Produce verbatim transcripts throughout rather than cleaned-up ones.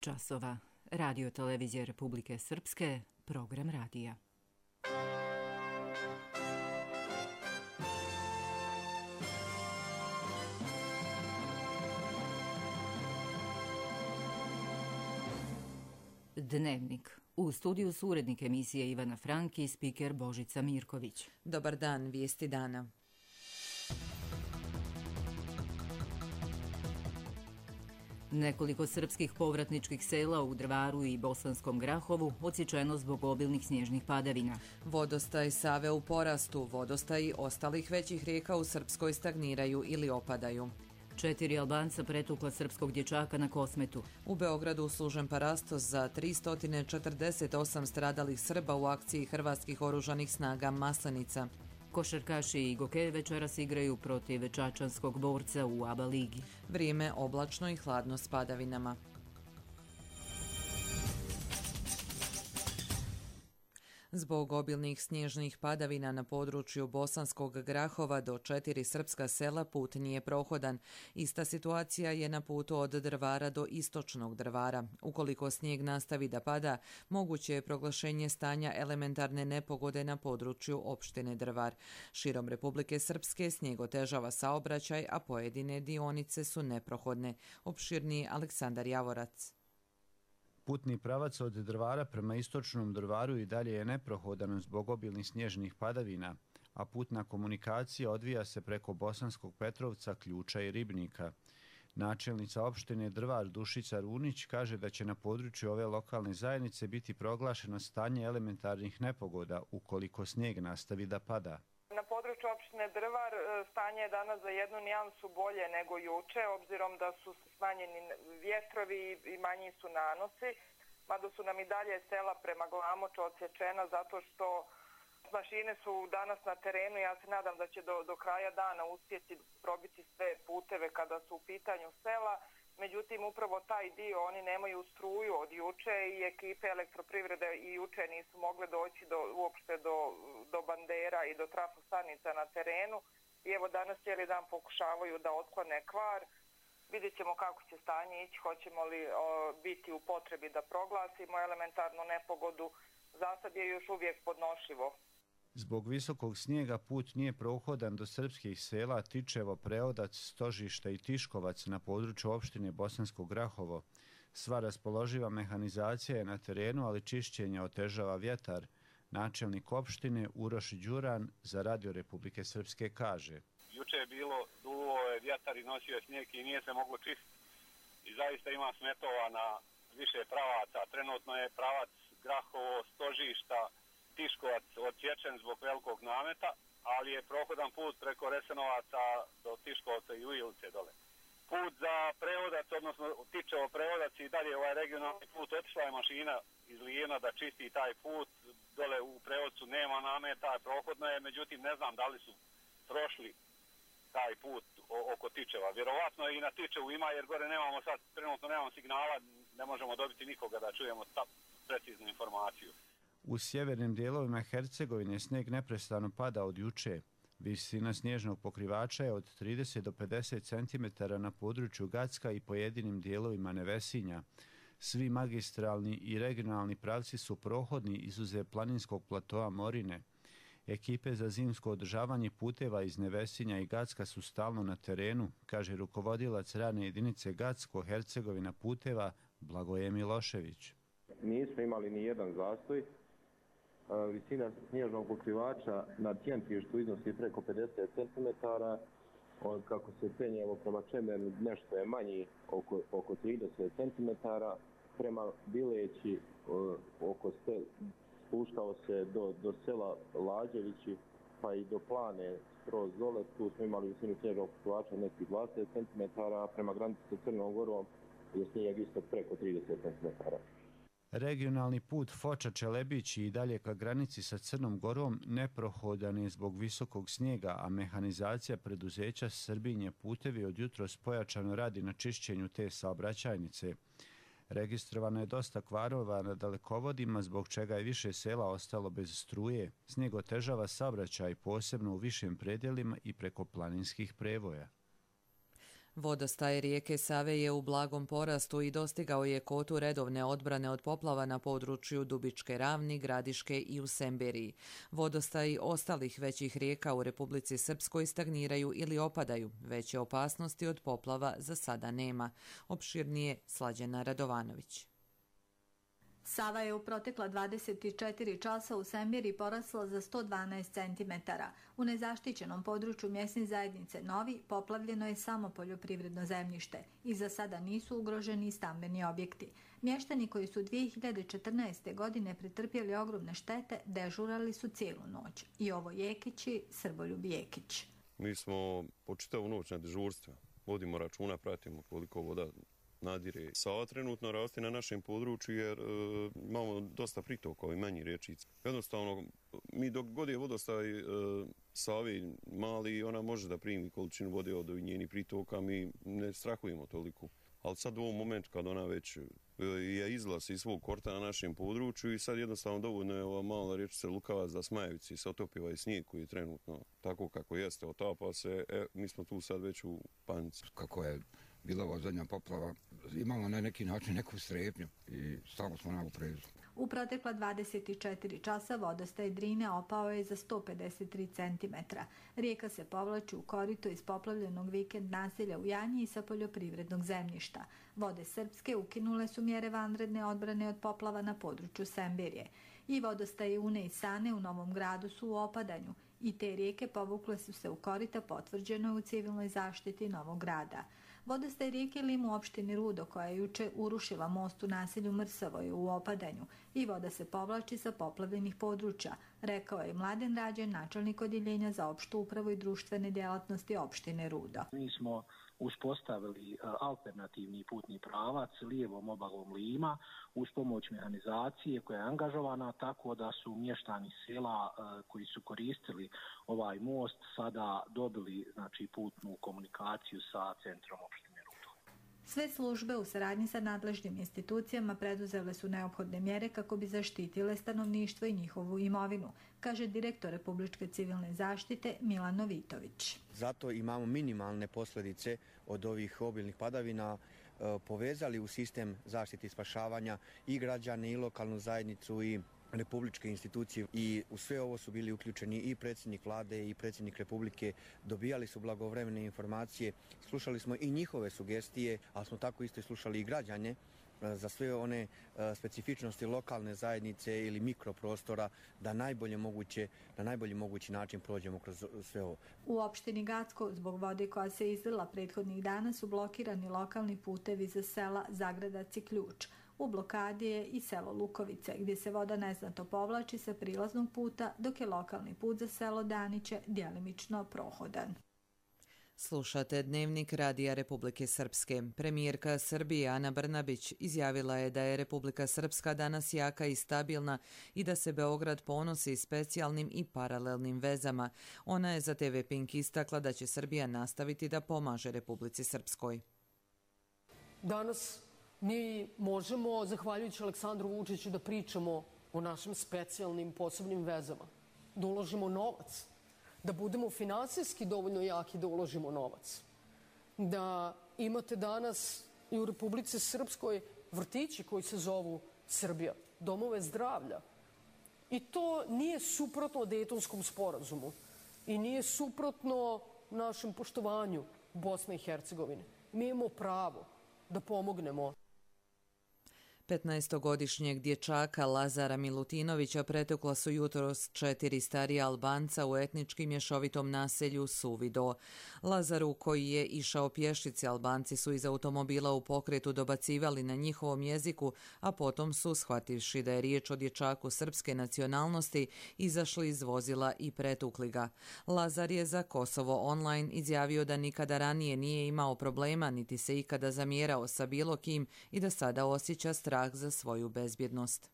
časova. Radio televizije Republike Srpske, program radija. Dnevnik. U studiju su urednik emisije Ivana Frank i spiker Božica Mirković. Dobar dan, vijesti dana. Nekoliko srpskih povratničkih sela u Drvaru i Bosanskom Grahovu odsječeno zbog obilnih snježnih padavina. Vodostaj Save u porastu, vodostaji ostalih većih rijeka u Srpskoj stagniraju ili opadaju. Četiri Albanca pretukla srpskog dječaka na Kosmetu. U Beogradu služen parastos za tristo četrdeset osam stradalih Srba u akciji hrvatskih oružanih snaga Maslenica. Košarkaši i Gokeje večeras igraju protiv čačanskog Borca u A B A ligi. Vrijeme oblačno i hladno s padavinama. Zbog obilnih snježnih padavina na području Bosanskog Grahova do četiri srpska sela put nije prohodan. Ista situacija je na putu od Drvara do istočnog Drvara. Ukoliko snijeg nastavi da pada, moguće je proglašenje stanja elementarne nepogode na području opštine Drvar. Širom Republike Srpske snijeg otežava saobraćaj, a pojedine dionice su neprohodne. Opširniji Aleksandar Javorac. Putni pravac od Drvara prema istočnom Drvaru i dalje je neprohodan zbog obilnih snježnih padavina, a putna komunikacija odvija se preko Bosanskog Petrovca, Ključa i Ribnika. Načelnica opštine Drvar Dušica Runić kaže da će na području ove lokalne zajednice biti proglašeno stanje elementarnih nepogoda ukoliko snijeg nastavi da pada. Na području opštine Drvar stanje je danas za jednu nijansu bolje nego juče, obzirom da su smanjeni vjetrovi i manji su nanosi, mada su nam i dalje sela prema Glamoču odsječena zato što mašine su danas na terenu. Ja se nadam da će do, do kraja dana uspjeti probiti sve puteve kada su u pitanju sela. Međutim, upravo taj dio, oni nemaju struju od juče i ekipe elektroprivrede i juče nisu mogle doći do, uopšte do, do bandera i do trafostanica na terenu. I evo danas cijeli dan pokušavaju da otklone kvar. Vidjet ćemo kako će stanje ići, hoćemo li o, biti u potrebi da proglasimo elementarnu nepogodu. Zasad je još uvijek podnošljivo. Zbog visokog snijega put nije prohodan do srpskih sela Tičevo, Preodac, Stožište i Tiškovac na području opštine Bosansko Grahovo. Sva raspoloživa mehanizacija je na terenu, ali čišćenje otežava vjetar. Načelnik opštine Uroš Đuran za Radio Republike Srpske kaže: Juče je bilo, duvo je vjetar i nosio snijeg i nije se moglo čistiti. I zaista ima smetova na više pravaca. Trenutno je pravac Grahovo, Stožišta, Tiškovac odsječen zbog velikog nameta, ali je prohodan put preko Resenovaca do Tiškovca i Ujilice dole. Put za Preodac, odnosno Tičevo Preodac i dalje ovaj regionalni put, otišla je mašina iz Lijena da čisti taj put. Dole u Preodcu nema nameta, prohodno je, međutim ne znam da li su prošli taj put oko Tičeva. Vjerovatno i na Tičevu ima, jer gore nemamo sad, trenutno nemamo signala, ne možemo dobiti nikoga da čujemo ta preciznu informaciju. U sjevernim dijelovima Hercegovine snijeg neprestano pada od juče. Visina snježnog pokrivača je od trideset do pedeset centimetara na području Gacka i pojedinim dijelovima Nevesinja. Svi magistralni i regionalni pravci su prohodni izuzev planinskog platoa Morine. Ekipe za zimsko održavanje puteva iz Nevesinja i Gacka su stalno na terenu, kaže rukovodilac radne jedinice Gacko Hercegovina puteva Blagoje Milošević. Nismo imali ni jedan zastoj. Visina snježnog pokrivača na Tjentištu iznosi preko pedeset centimetara. Kako se penjemo prema Čemernu, nešto je manji, oko, oko trideset centimetara. Prema Bileći oko stel, spuštao se do, do sela Lađevići, pa i do Plane skroz dole. Tu smo imali visinu snježnog pokrivača nekih dvadeset centimetara, a prema granici sa Crnom Gorom je snijeg isto preko trideset centimetara. Regionalni put Foča-Čelebić i dalje ka granici sa Crnom Gorom neprohodan je zbog visokog snijega, a mehanizacija preduzeća Srbinje putevi od jutros pojačano radi na čišćenju te saobraćajnice. Registrovano je dosta kvarova na dalekovodima, zbog čega je više sela ostalo bez struje. Snijeg otežava saobraćaj posebno u višim predjelima i preko planinskih prevoja. Vodostaj rijeke Save je u blagom porastu i dostigao je kotu redovne odbrane od poplava na području Dubičke Ravni, Gradiške i u Semberiji. Vodostaji ostalih većih rijeka u Republici Srpskoj stagniraju ili opadaju. Veće opasnosti od poplava za sada nema. Opširnije Slađana Radovanović. Sava je u protekla dvadeset četiri časa u Sembiri porasla za sto dvanaest centimetara. U nezaštićenom području mjesne zajednice Novi poplavljeno je samo poljoprivredno zemljište i za sada nisu ugroženi stambeni objekti. Mještani koji su dvije hiljade četrnaeste. godine pretrpjeli ogromne štete dežurali su cijelu noć. I ovo Jekići, Srboljub Jekić. Mi smo po čitavu noć na dežurstva. Vodimo računa, pratimo koliko voda nadire. Sava trenutno raste na našem području jer e, imamo dosta pritoka i manji rječica. Jednostavno, mi dok god je vodostaj e, Save mali, ona može da primi količinu vode od njenih pritoka, mi ne strahujemo toliko. Ali sad u ovom momentu kad ona već e, je izlaz iz svog korta na našem području i sad jednostavno dovoljno je ova mala rječica Lukavac da Smajevici se otopi ovaj snijeg koji je trenutno tako kako jeste, otapa se, e, mi smo tu sad već u panici. Kako je bila ova zadnja poplava, imamo na neki način neku strepnju i stalno smo na oprezu. U protekla dvadeset četiri časa vodostaj Drine opao je za sto pedeset tri centimetra. Rijeka se povlači u korito iz poplavljenog vikend naselja u Janji i sa poljoprivrednog zemljišta. Vode Srpske ukinule su mjere vanredne odbrane od poplava na području Semberije. I vodostaje Une i Sane u Novom Gradu su u opadanju i te rijeke povukle su se u korita, potvrđeno u civilnoj zaštiti Novog Grada. Vodostaj rijeke Lim u opštini Rudo, koja je juče urušila most u naselju Mrsavo, je u opadanju i voda se povlači sa poplavljenih područja, rekao je Mladen Rađen, načelnik odjeljenja za opštu upravu i društvene djelatnosti opštine Rudo. Mi smo uspostavili alternativni putni pravac lijevom obalom Lima uz pomoć mehanizacije koja je angažovana, tako da su mještani sela koji su koristili ovaj most sada dobili znači putnu komunikaciju sa centrom opštine Rudo. Sve službe u saradnji sa nadležnim institucijama preduzele su neophodne mjere kako bi zaštitile stanovništvo i njihovu imovinu, kaže direktor Republičke civilne zaštite Milan Novitović. Zato imamo minimalne posljedice od ovih obilnih padavina, povezali u sistem zaštite i spašavanja i građane i lokalnu zajednicu i republičke institucije i u sve ovo su bili uključeni i predsjednik vlade i predsjednik Republike, dobijali su blagovremene informacije, slušali smo i njihove sugestije, ali smo tako isto i slušali i građane za sve one specifičnosti lokalne zajednice ili mikroprostora da najbolje moguće, na najbolji mogući način prođemo kroz sve ovo. U opštini Gacko zbog vode koja se izlila prethodnih dana su blokirani lokalni putevi za sela Zagradac i Ključ. U blokadi je i selo Lukovice, gdje se voda neznatno povlači sa prilaznog puta, dok je lokalni put za selo Daniće djelimično prohodan. Slušate Dnevnik Radija Republike Srpske. Premijerka Srbije Ana Brnabić izjavila je da je Republika Srpska danas jaka i stabilna i da se Beograd ponosi specijalnim i paralelnim vezama. Ona je za te ve Pink istakla da će Srbija nastaviti da pomaže Republici Srpskoj. Danas mi možemo, zahvaljujući Aleksandru Vučiću, da pričamo o našim specijalnim posebnim vezama, da uložimo novac, da budemo finansijski dovoljno jaki da uložimo novac, da imate danas i u Republici Srpskoj vrtići koji se zovu Srbija, domove zdravlja. I to nije suprotno Dejtonskom sporazumu i nije suprotno našem poštovanju Bosne i Hercegovine. Mi imamo pravo da pomognemo. petnaestogodišnjeg dječaka Lazara Milutinovića pretukla su jutros četiri starija Albanca u etnički mješovitom naselju Suvido. Lazaru, koji je išao pješice, Albanci su iz automobila u pokretu dobacivali na njihovom jeziku, a potom su, shvativši da je riječ o dječaku srpske nacionalnosti, izašli iz vozila i pretukli ga. Lazar je za Kosovo Online izjavio da nikada ranije nije imao problema, niti se ikada zamjerao sa bilo kim i da sada osjeća strah za svoju bezbjednost.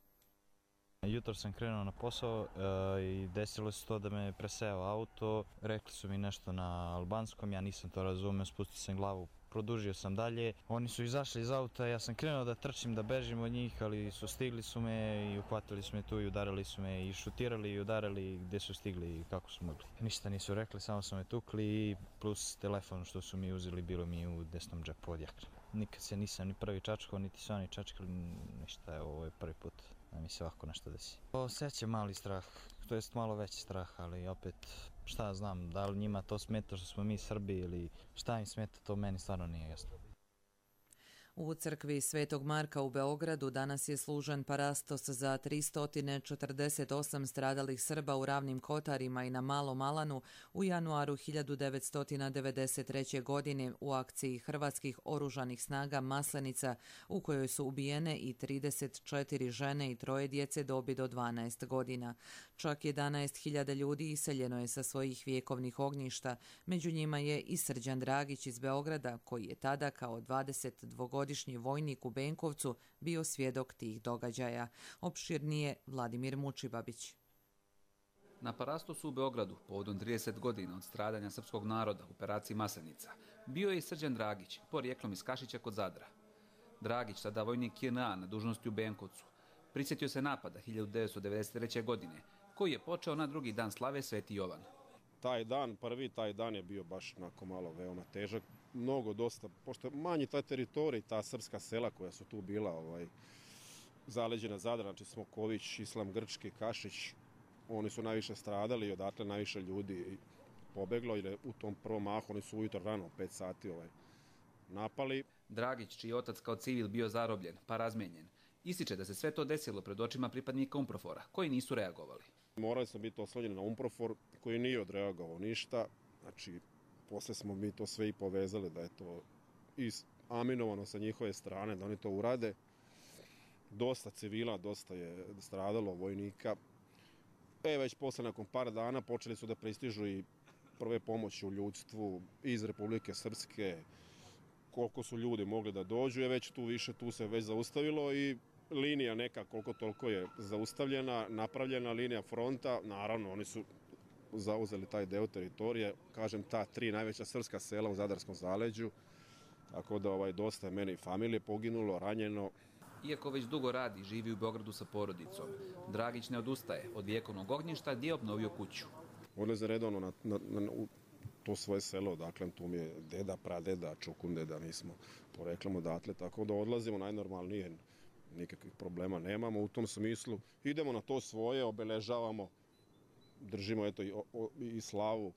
Jutro sam krenuo na posao e, i desilo se to da me preseo auto. Rekli su mi nešto na albanskom, ja nisam to razumio, spustio sam glavu, produžio sam dalje. Oni su izašli iz auta, ja sam krenuo da trčim, da bežim od njih, ali su stigli su me i uhvatili su me tu i udarili su me i šutirali i udarili gdje su stigli i kako su mogli. Ništa nisu rekli, samo su me tukli i plus telefon što su mi uzeli bilo mi u desnom džepu od jakne. Nikad se nisam ni prvi čačkao, niti su oni čačkali, ništa, ovo je prvi put da mi se ovako nešto desi. Osjećam mali strah, to jest malo veći strah, ali opet šta znam, da li njima to smeta što smo mi Srbi ili šta im smeta, to meni stvarno nije jasno. U crkvi Svetog Marka u Beogradu danas je služen parastos za tristo četrdeset osam stradalih Srba u Ravnim Kotarima i na Malom Alanu u januaru hiljadu devetsto devedeset treće. godine u akciji Hrvatskih oružanih snaga Maslenica u kojoj su ubijene i trideset četiri žene i troje djece dobi do dvanaest godina. Čak jedanaest hiljada ljudi iseljeno je sa svojih vjekovnih ognjišta, među njima je i Srđan Dragić iz Beograda koji je tada kao dvadesetdvogodišnji vojnik u Benkovcu bio svjedok tih događaja. Opširnije Vladimir Mučibabić. Na parastosu u Beogradu, povodom trideset godina od stradanja srpskog naroda u operaciji Maslenica, bio je i Srđan Dragić, porijeklom iz Kašića kod Zadra. Dragić, tada vojnik J N A na dužnosti u Benkovcu, prisjetio se napada hiljadu devetsto devedeset treće. godine, koji je počeo na drugi dan slave Sveti Jovan. Taj dan, prvi taj dan je bio baš onako malo veoma težak. Mnogo, dosta, pošto manji ta teritorij, ta srpska sela koja su tu bila ovaj, zaleđena Zadra, znači Smoković, Islam Grčki, Kašić, oni su najviše stradali i odatle najviše ljudi pobeglo, jer u tom prvom mahu oni su ujutro rano, pet sati ovaj, napali. Dragić, čiji otac kao civil bio zarobljen, pa razmijenjen, ističe da se sve to desilo pred očima pripadnika Umprofora, koji nisu reagovali. Morali smo biti oslonjeni na Umprofor, koji nije odreagovao ništa, znači posle smo mi to sve i povezali da je to aminovano sa njihove strane, da oni to urade. Dosta civila, dosta je stradalo vojnika. E, već posle nakon par dana počeli su da pristižu i prve pomoći u ljudstvu iz Republike Srpske. Koliko su ljudi mogli da dođu je već tu više, tu se već zaustavilo i linija neka koliko toliko je zaustavljena, napravljena linija fronta. Naravno, oni su zauzeli taj deo teritorije, kažem, ta tri najveća srpska sela u Zadarskom zaleđu, tako da ovaj, dosta je mene i familije poginulo, ranjeno. Iako već dugo radi i živi u Beogradu sa porodicom, Dragić ne odustaje od vjekovnog ognjišta gdje je obnovio kuću. Odlaze redovno na, na, na u to svoje selo, dakle, tu mi je deda, pradeda, čukundeda, mi smo poreklom odatle, tako da odlazimo najnormalnije, nikakvih problema nemamo u tom smislu. Idemo na to svoje, obeležavamo, držimo eto i, o, i slavu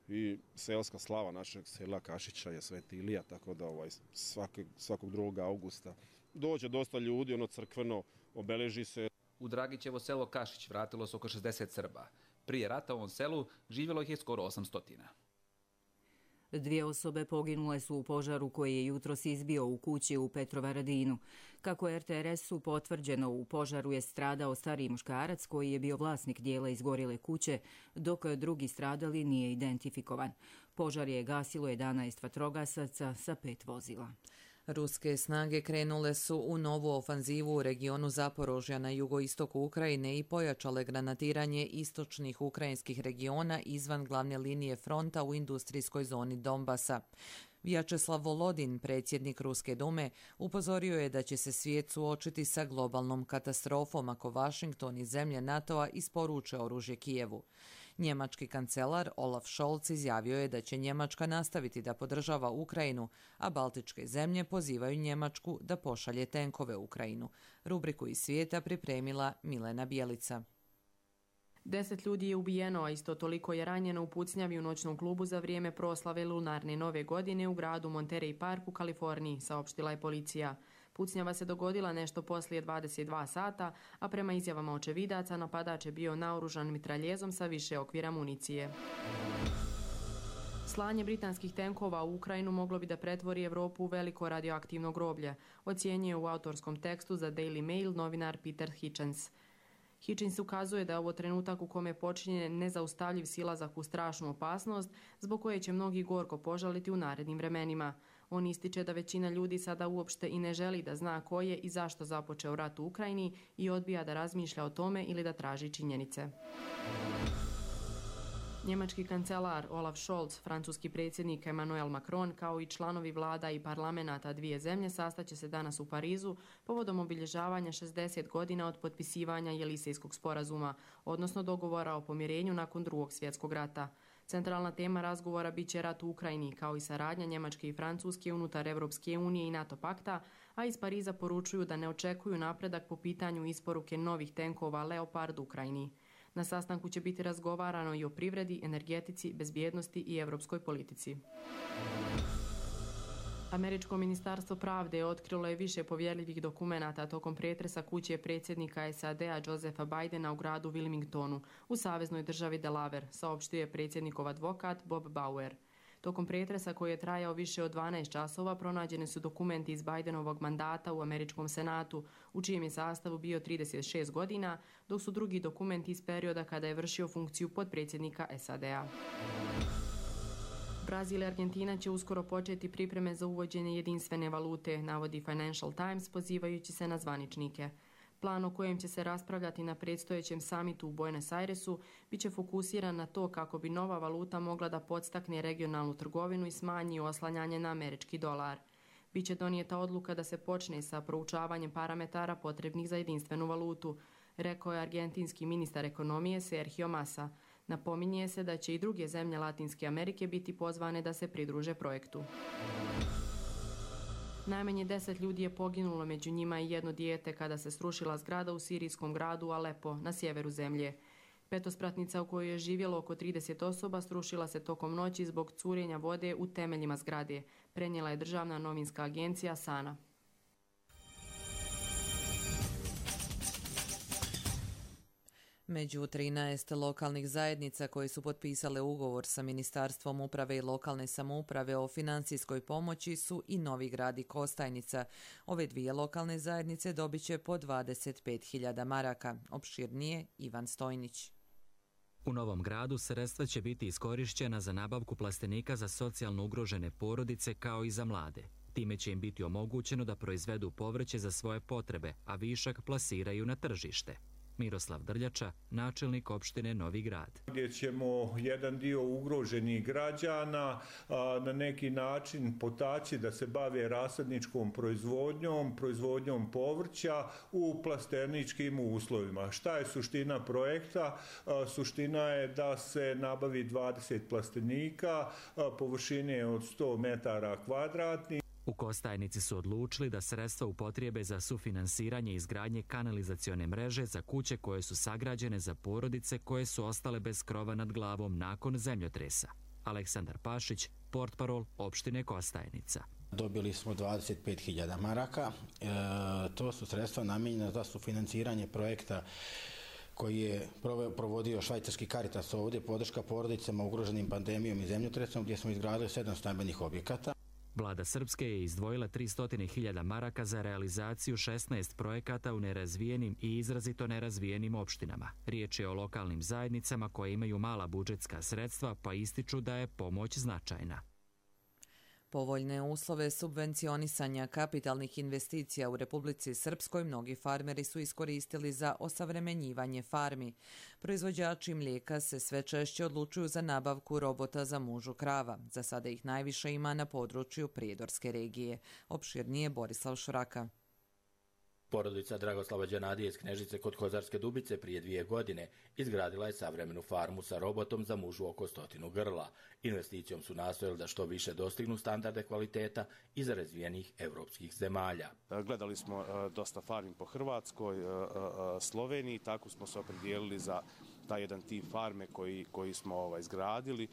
i selska slava našeg sela Kašića je Sveti Ilija, tako da ovaj, svaki, svakog drugog augusta dođe dosta ljudi, ono crkveno, obeleži se. U Dragićevo selo Kašić vratilo se oko šezdeset Srba. Prije rata u ovom selu živjelo ih je skoro osamsto. Dvije osobe poginule su u požaru koji je jutros izbio u kući u Petrovaradinu. Kako je R T R S-u potvrđeno, u požaru je stradao stariji muškarac koji je bio vlasnik dijela izgorjele kuće, dok drugi stradali nije identifikovan. Požar je gasilo jedanaest vatrogasaca sa pet vozila. Ruske snage krenule su u novu ofanzivu u regionu Zaporožja na jugoistoku Ukrajine i pojačale granatiranje istočnih ukrajinskih regiona izvan glavne linije fronta u industrijskoj zoni Donbasa. Vjačeslav Volodin, predsjednik Ruske dume, upozorio je da će se svijet suočiti sa globalnom katastrofom ako Washington i zemlje NATO-a isporuče oružje Kijevu. Njemački kancelar Olaf Scholz izjavio je da će Njemačka nastaviti da podržava Ukrajinu, a baltičke zemlje pozivaju Njemačku da pošalje tenkove u Ukrajinu. Rubriku iz svijeta pripremila Milena Bjelica. Deset ljudi je ubijeno, a isto toliko je ranjeno u pucnjavi u noćnom klubu za vrijeme proslave lunarne nove godine u gradu Monterey Park u Kaliforniji, saopštila je policija. Pucnjava se dogodila nešto poslije dvadeset dva sata, a prema izjavama očevidaca napadač je bio naoružan mitraljezom sa više okvira municije. Slanje britanskih tenkova u Ukrajinu moglo bi da pretvori Evropu u veliko radioaktivno groblje, ocjenjuje u autorskom tekstu za Daily Mail novinar Peter Hitchens. Hitchens ukazuje da je ovo trenutak u kome počinje nezaustavljiv silazak u strašnu opasnost, zbog koje će mnogi gorko požaliti u narednim vremenima. On ističe da većina ljudi sada uopšte i ne želi da zna ko je i zašto započeo rat u Ukrajini i odbija da razmišlja o tome ili da traži činjenice. Njemački kancelar Olaf Scholz, francuski predsjednik Emmanuel Macron kao i članovi vlada i parlamenata dvije zemlje sastaće se danas u Parizu povodom obilježavanja šezdeset godina od potpisivanja Jelisejskog sporazuma, odnosno dogovora o pomirenju nakon Drugog svjetskog rata. Centralna tema razgovora bit će rat u Ukrajini, kao i saradnja Njemačke i Francuske unutar Europske unije i NATO pakta, a iz Pariza poručuju da ne očekuju napredak po pitanju isporuke novih tenkova Leopard Ukrajini. Na sastanku će biti razgovarano i o privredi, energetici, bezbjednosti i europskoj politici. Američko ministarstvo pravde otkrilo je više povjerljivih dokumenata tokom pretresa kuće predsjednika S A D-a Josepha Bidena u gradu Wilmingtonu u saveznoj državi Delaware, saopštio je predsjednikov advokat Bob Bauer. Tokom pretresa koji je trajao više od dvanaest časova pronađeni su dokumenti iz Bidenovog mandata u Američkom senatu, u čijem je sastavu bio trideset šest godina, dok su drugi dokumenti iz perioda kada je vršio funkciju potpredsjednika S A D-a. Brazil i Argentina će uskoro početi pripreme za uvođenje jedinstvene valute, navodi Financial Times pozivajući se na zvaničnike. Plan o kojem će se raspravljati na predstojećem samitu u Buenos Airesu biće fokusiran na to kako bi nova valuta mogla da podstakne regionalnu trgovinu i smanji oslanjanje na američki dolar. Biće donijeta odluka da se počne sa proučavanjem parametara potrebnih za jedinstvenu valutu, rekao je argentinski ministar ekonomije Sergio Massa. Napominje se da će i druge zemlje Latinske Amerike biti pozvane da se pridruže projektu. Najmanje deset ljudi je poginulo, među njima i jedno dijete kada se srušila zgrada u sirijskom gradu Alepo na sjeveru zemlje. Petospratnica u kojoj je živjelo oko trideset osoba srušila se tokom noći zbog curenja vode u temeljima zgrade, prenijela je državna novinska agencija Sana. Među trinaest lokalnih zajednica koje su potpisale ugovor sa Ministarstvom uprave i lokalne samouprave o financijskoj pomoći su i Novi Grad i Kostajnica. Ove dvije lokalne zajednice dobit će po dvadeset pet hiljada maraka. Opširnije Ivan Stojnić. U Novom Gradu sredstva će biti iskorišćena za nabavku plastenika za socijalno ugrožene porodice kao i za mlade. Time će im biti omogućeno da proizvedu povrće za svoje potrebe, a višak plasiraju na tržište. Miroslav Drljača, načelnik opštine Novi Grad. Gdje ćemo jedan dio ugroženih građana a, na neki način potaći da se bave rasadničkom proizvodnjom, proizvodnjom povrća u plasterničkim uslovima. Šta je suština projekta? A, suština je da se nabavi dvadeset plastenika a, površine od sto metara kvadratnih. U Kostajnici su odlučili da sredstva upotrijebe za sufinansiranje izgradnje kanalizacione mreže za kuće koje su sagrađene za porodice koje su ostale bez krova nad glavom nakon zemljotresa. Aleksandar Pašić, portparol opštine Kostajnica. Dobili smo dvadeset pet hiljada maraka. E, to su sredstva namijenjena za sufinansiranje projekta koji je provodio švajcarski Caritas ovdje, podrška porodicama ugroženim pandemijom i zemljotresom, gdje smo izgradili sedam stambenih objekata. Vlada Srpske je izdvojila tristo hiljada maraka za realizaciju šesnaest projekata u nerazvijenim i izrazito nerazvijenim opštinama. Riječ je o lokalnim zajednicama koje imaju mala budžetska sredstva, pa ističu da je pomoć značajna. Povoljne uslove subvencionisanja kapitalnih investicija u Republici Srpskoj mnogi farmeri su iskoristili za osavremenjivanje farmi. Proizvođači mlijeka se sve češće odlučuju za nabavku robota za mužu krava. Za sada ih najviše ima na području Prijedorske regije. Opširnije Borislav Šuraka. Porodica Dragoslava Đanadije iz Knežice kod Kozarske Dubice prije dvije godine izgradila je savremenu farmu sa robotom za mužu oko stotinu grla. Investicijom su nastojali da što više dostignu standarde kvaliteta iz razvijenih evropskih zemalja. Gledali smo dosta farmi po Hrvatskoj, Sloveniji, tako smo se opredijelili za taj jedan tip farme koji, koji smo ovaj, izgradili,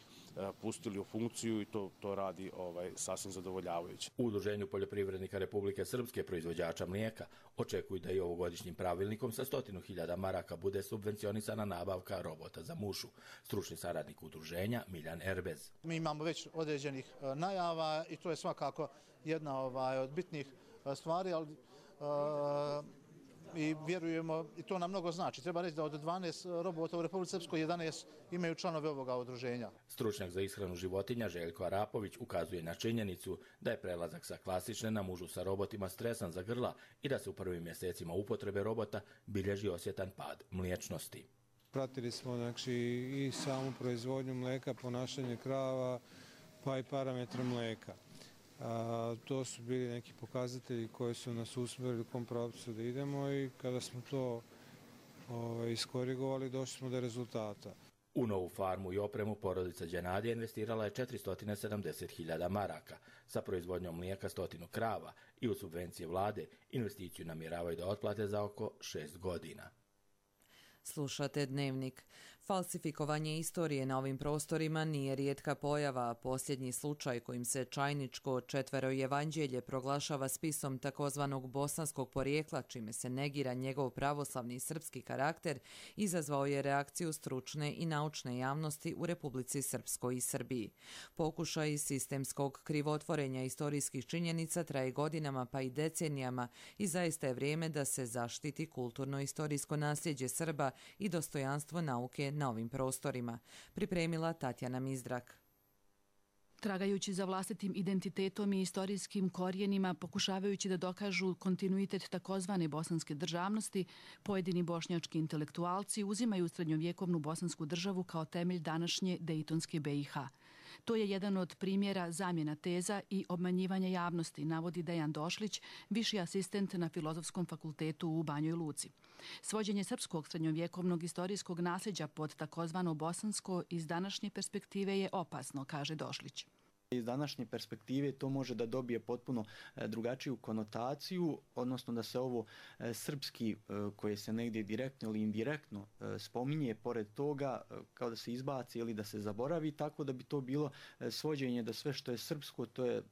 pustili u funkciju i to, to radi ovaj, sasvim zadovoljavajuće. U Udruženju poljoprivrednika Republike Srpske proizvođača mlijeka očekuju da i ovogodišnjim pravilnikom sa stotinu hiljada maraka bude subvencionisana nabavka robota za mušu. Stručni saradnik udruženja Miljan Erbez. Mi imamo već određenih najava i to je svakako jedna ovaj, od bitnih stvari, ali uh, i vjerujemo, i to nam mnogo znači. Treba reći da od dvanaest robota u Republici Srpskoj jedanaest imaju članove ovoga udruženja. Stručnjak za ishranu životinja Željko Arapović ukazuje na činjenicu da je prelazak sa klasične na mužu sa robotima stresan za grla i da se u prvim mjesecima upotrebe robota bilježi osjetan pad mliječnosti. Pratili smo znači, i samu proizvodnju mlijeka, ponašanje krava, pa i parametre mlijeka. A, to su bili neki pokazatelji koji su nas usmjerili u kom pravcu da idemo i kada smo to ovaj, iskorigovali, došli smo do rezultata. U novu farmu i opremu porodica Đenadija investirala je četiristo sedamdeset hiljada maraka, sa proizvodnjom mlijeka stotinu krava i u subvencije vlade investiciju namjeravaju da otplate za oko šest godina. Slušate Dnevnik. Falsifikovanje istorije na ovim prostorima nije rijetka pojava, a posljednji slučaj kojim se Čajničko četvero evanđelje proglašava spisom takozvanog bosanskog porijekla, čime se negira njegov pravoslavni srpski karakter, izazvao je reakciju stručne i naučne javnosti u Republici Srpskoj i Srbiji. Pokušaj sistemskog krivotvorenja istorijskih činjenica traje godinama pa i decenijama i zaista je vrijeme da se zaštiti kulturno-istorijsko nasljeđe Srba i dostojanstvo nauke na ovim prostorima, pripremila Tatjana Mizdrak. Tragajući za vlastitim identitetom i istorijskim korijenima, pokušavajući da dokažu kontinuitet takozvane bosanske državnosti, pojedini bošnjački intelektualci uzimaju srednjovjekovnu bosansku državu kao temelj današnje Dejtonske B i H. To je jedan od primjera zamjena teza i obmanjivanja javnosti, navodi Dejan Došlić, viši asistent na Filozofskom fakultetu u Banjoj Luci. Svođenje srpskog srednjovjekovnog istorijskog nasljeđa pod takozvano bosansko iz današnje perspektive je opasno, kaže Došlić. Iz današnje perspektive to može da dobije potpuno drugačiju konotaciju, odnosno da se ovo srpski koje se negdje direktno ili indirektno spominje pored toga kao da se izbaci ili da se zaboravi, tako da bi to bilo svođenje da sve što je srpsko to je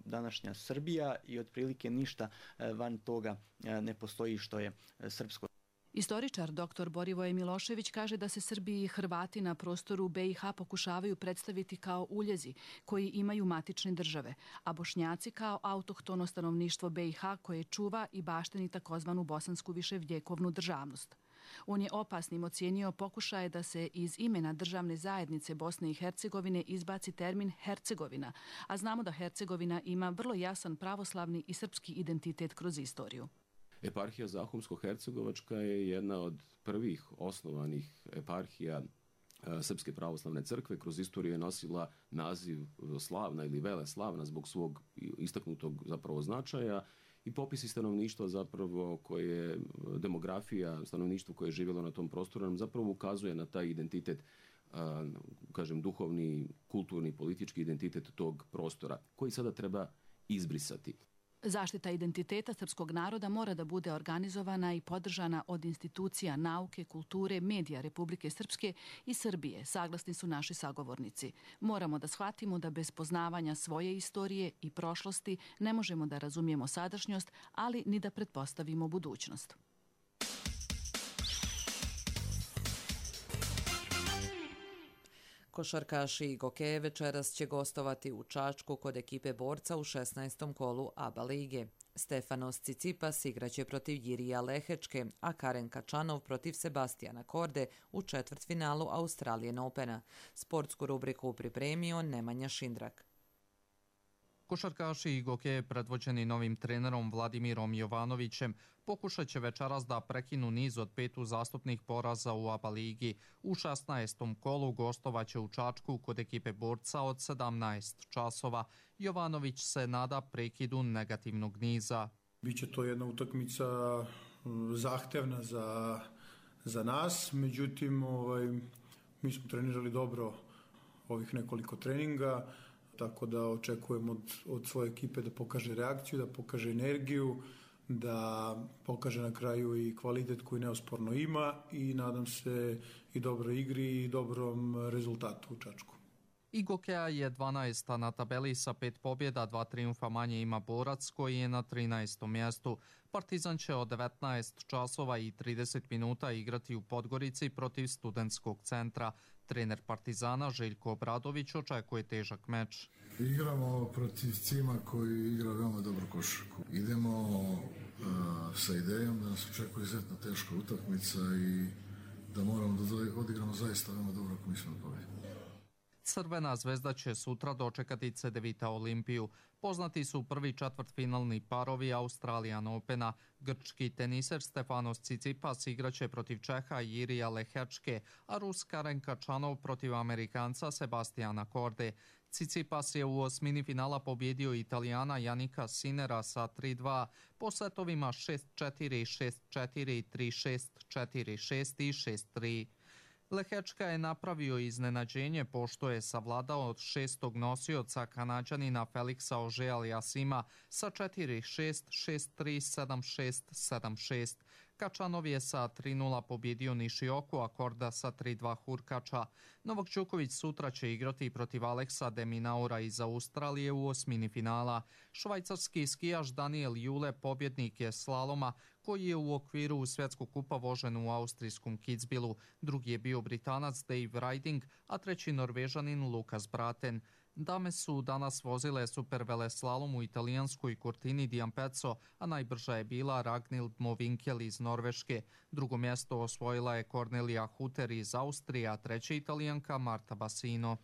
današnja Srbija i otprilike ništa van toga ne postoji što je srpsko. Istoričar dr Borivoje Milošević kaže da se Srbi i Hrvati na prostoru B i H pokušavaju predstaviti kao uljezi koji imaju matične države, a Bošnjaci kao autohtono stanovništvo B i H koje čuva i bašteni takozvanu bosansku viševjekovnu državnost. On je opasnim ocijenio pokušaje da se iz imena državne zajednice Bosne i Hercegovine izbaci termin Hercegovina, a znamo da Hercegovina ima vrlo jasan pravoslavni i srpski identitet kroz istoriju. Eparhija Zahumsko-Hercegovačka je jedna od prvih osnovanih eparhija Srpske pravoslavne crkve. Kroz istoriju je nosila naziv slavna ili vele slavna zbog svog istaknutog zapravo značaja i popisi stanovništva zapravo koje demografija stanovništva koje je živjelo na tom prostoru nam zapravo ukazuje na taj identitet, kažem duhovni, kulturni, politički identitet tog prostora koji sada treba izbrisati. Zaštita identiteta srpskog naroda mora da bude organizovana i podržana od institucija nauke, kulture, medija Republike Srpske i Srbije, saglasni su naši sagovornici. Moramo da shvatimo da bez poznavanja svoje istorije i prošlosti ne možemo da razumijemo sadašnjost, ali ni da pretpostavimo budućnost. Košarkaši i Gokeje večeras će gostovati u Čačku kod ekipe Borca u šesnaestom kolu A B A lige. Stefanos Cicipas igraće protiv Jirija Lehečke, a Karen Kačanov protiv Sebastijana Korde u četvrtfinalu Australian Opena. Sportsku rubriku pripremio Nemanja Šindrak. Košarkaši i Gokeje predvođeni novim trenerom Vladimirom Jovanovićem pokušat će večeras da prekinu niz od pet uzastopnih poraza u A B A ligi. U šesnaestom kolu gostovaće u Čačku kod ekipe Borca od sedamnaest časova. Jovanović se nada prekidu negativnog niza. Biće to jedna utakmica zahtevna za, za nas, međutim ovaj, mi smo trenirali dobro ovih nekoliko treninga, tako da očekujem od, od svoje ekipe da pokaže reakciju, da pokaže energiju, da pokaže na kraju i kvalitet koji neosporno ima i nadam se i dobroj igri i dobrom rezultatu u Čačku. I Gokeja je dvanaesta na tabeli sa pet pobjeda, dva triumfa manje ima Borac koji je na trinaestom mjestu. Partizan će od devetnaest časova i trideset minuta igrati u Podgorici protiv Studentskog centra. Trener Partizana Željko Obradović očekuje težak meč. Igramo protiv Cima koji igra veoma dobro košarku. Idemo uh, sa idejom da nas očekuje izuzetno teška utakmica i da moramo da odigramo zaista veoma dobro ako mislimo da pobedimo. Crvena zvezda će sutra dočekati C D Vita Olimpiju. Poznati su prvi četvrtfinalni parovi Australian Opena. Grčki teniser Stefanos Tsitsipas igraće protiv Čeha Jirija Lehečke, a Rus Karen Kačanov protiv Amerikanca Sebastijana Korde. Tsitsipas je u osmini finala pobjedio Italijana Janika Sinera sa tri dva po setovima šest četiri, šest četiri, tri šest, četiri šest i šest tri. Lehečka je napravio iznenađenje pošto je savladao od šestog nosioca Kanađanina Feliksa Auger-Aliassima sa četiri šest, šest tri, sedam šest, sedam šest. Kačanov je sa tri nula pobjedio Nišioku, a Korda sa tri dva Hurkača. Novak Đoković sutra će igrati protiv Aleksa de Minaura iz Australije u osmini finala. Švajcarski skijaš Daniel Jule pobjednik je slaloma koji je u okviru svjetskog kupa vožen u austrijskom Kitzbühelu. Drugi je bio Britanac Dave Riding, a treći Norvežanin Lukas Braten. Dame su danas vozile superveleslalom u italijanskoj Cortini di Ampezzo, a najbrža je bila Ragnhild Movinkel iz Norveške. Drugo mjesto osvojila je Cornelia Hutter iz Austrije, a treća Italijanka Marta Bassino.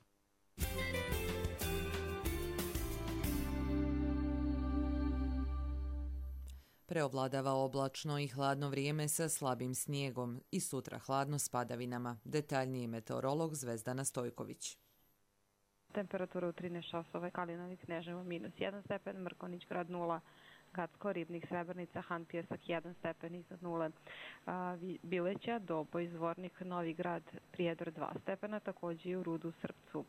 Preovladava oblačno i hladno vrijeme sa slabim snijegom i sutra hladno s padavinama. Detaljniji meteorolog Zvezdana Stojković. Temperatura u trinaest časova, Kalinovi, Kneževo minus jedan stepen, Mrkonjić grad nula, Gacko, Ribnik, Srebrenica, Han Pjesak jedan stepen iznad nule, Bileća, Doboj, Zvornik, Novi grad, Prijedor dva stepena, također i u Rudu, Srpcu,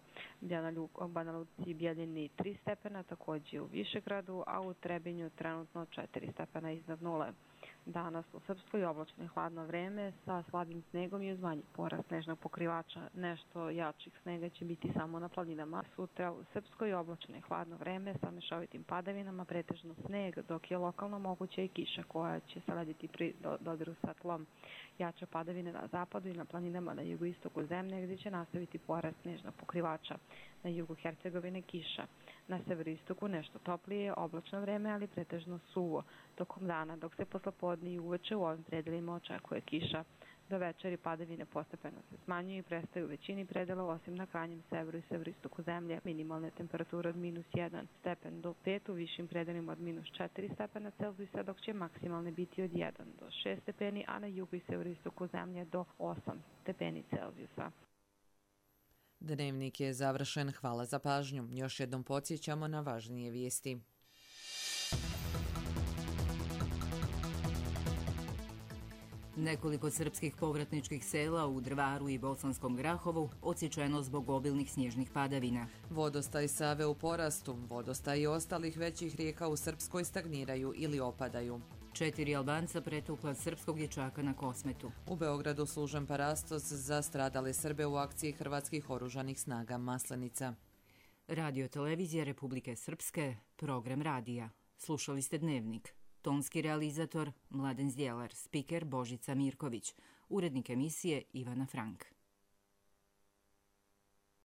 Banja Luci, Bjeljini tri stepena, također u Višegradu, a u Trebinju trenutno četiri stepena iznad nule. Danas u Srpskoj oblačno i hladno vreme sa slabim snegom i uz manji porast snežnog pokrivača. Nešto jačih snega će biti samo na planinama. Sutra u Srpskoj oblačno i hladno vreme sa mešovitim padavinama, pretežno sneg, dok je lokalno moguća i kiša koja će se lediti pri dodiru sa tlom. Jače padavine na zapadu i na planinama na jugoistoku zemlje gdje će nastaviti porast snežnog pokrivača. Na jugu Hercegovine kiša. Na severoistoku nešto toplije, oblačno vreme, ali pretežno suvo tokom dana, dok se poslopodne i uveče u ovim predelima očekuje kiša. Do večeri padavine postepeno se smanjuju i prestaju u većini predela, osim na krajnjem severu i severoistoku zemlje. Minimalne temperature od minus jedan stepen do pet, u višim predelima od minus četiri stepena Celzijusa, dok će maksimalne biti od jedan do šest stepeni, a na jugu i severoistoku zemlje do osam stepeni Celzijusa. Dnevnik je završen. Hvala za pažnju. Još jednom podsjećamo na važnije vijesti. Nekoliko srpskih povratničkih sela u Drvaru i Bosanskom Grahovu odsječeno zbog obilnih snježnih padavina. Vodostaj Save u porastu, vodostaj i ostalih većih rijeka u Srpskoj stagniraju ili opadaju. Četiri Albanca pretukla srpskog dječaka na Kosmetu. U Beogradu služen parastos za stradale Srbe u akciji Hrvatskih oružanih snaga Maslenica. Radio televizija Republike Srpske, program radija. Slušali ste Dnevnik. Tonski realizator Mladen Zdjelar, spiker Božica Mirković, urednik emisije Ivana Frank.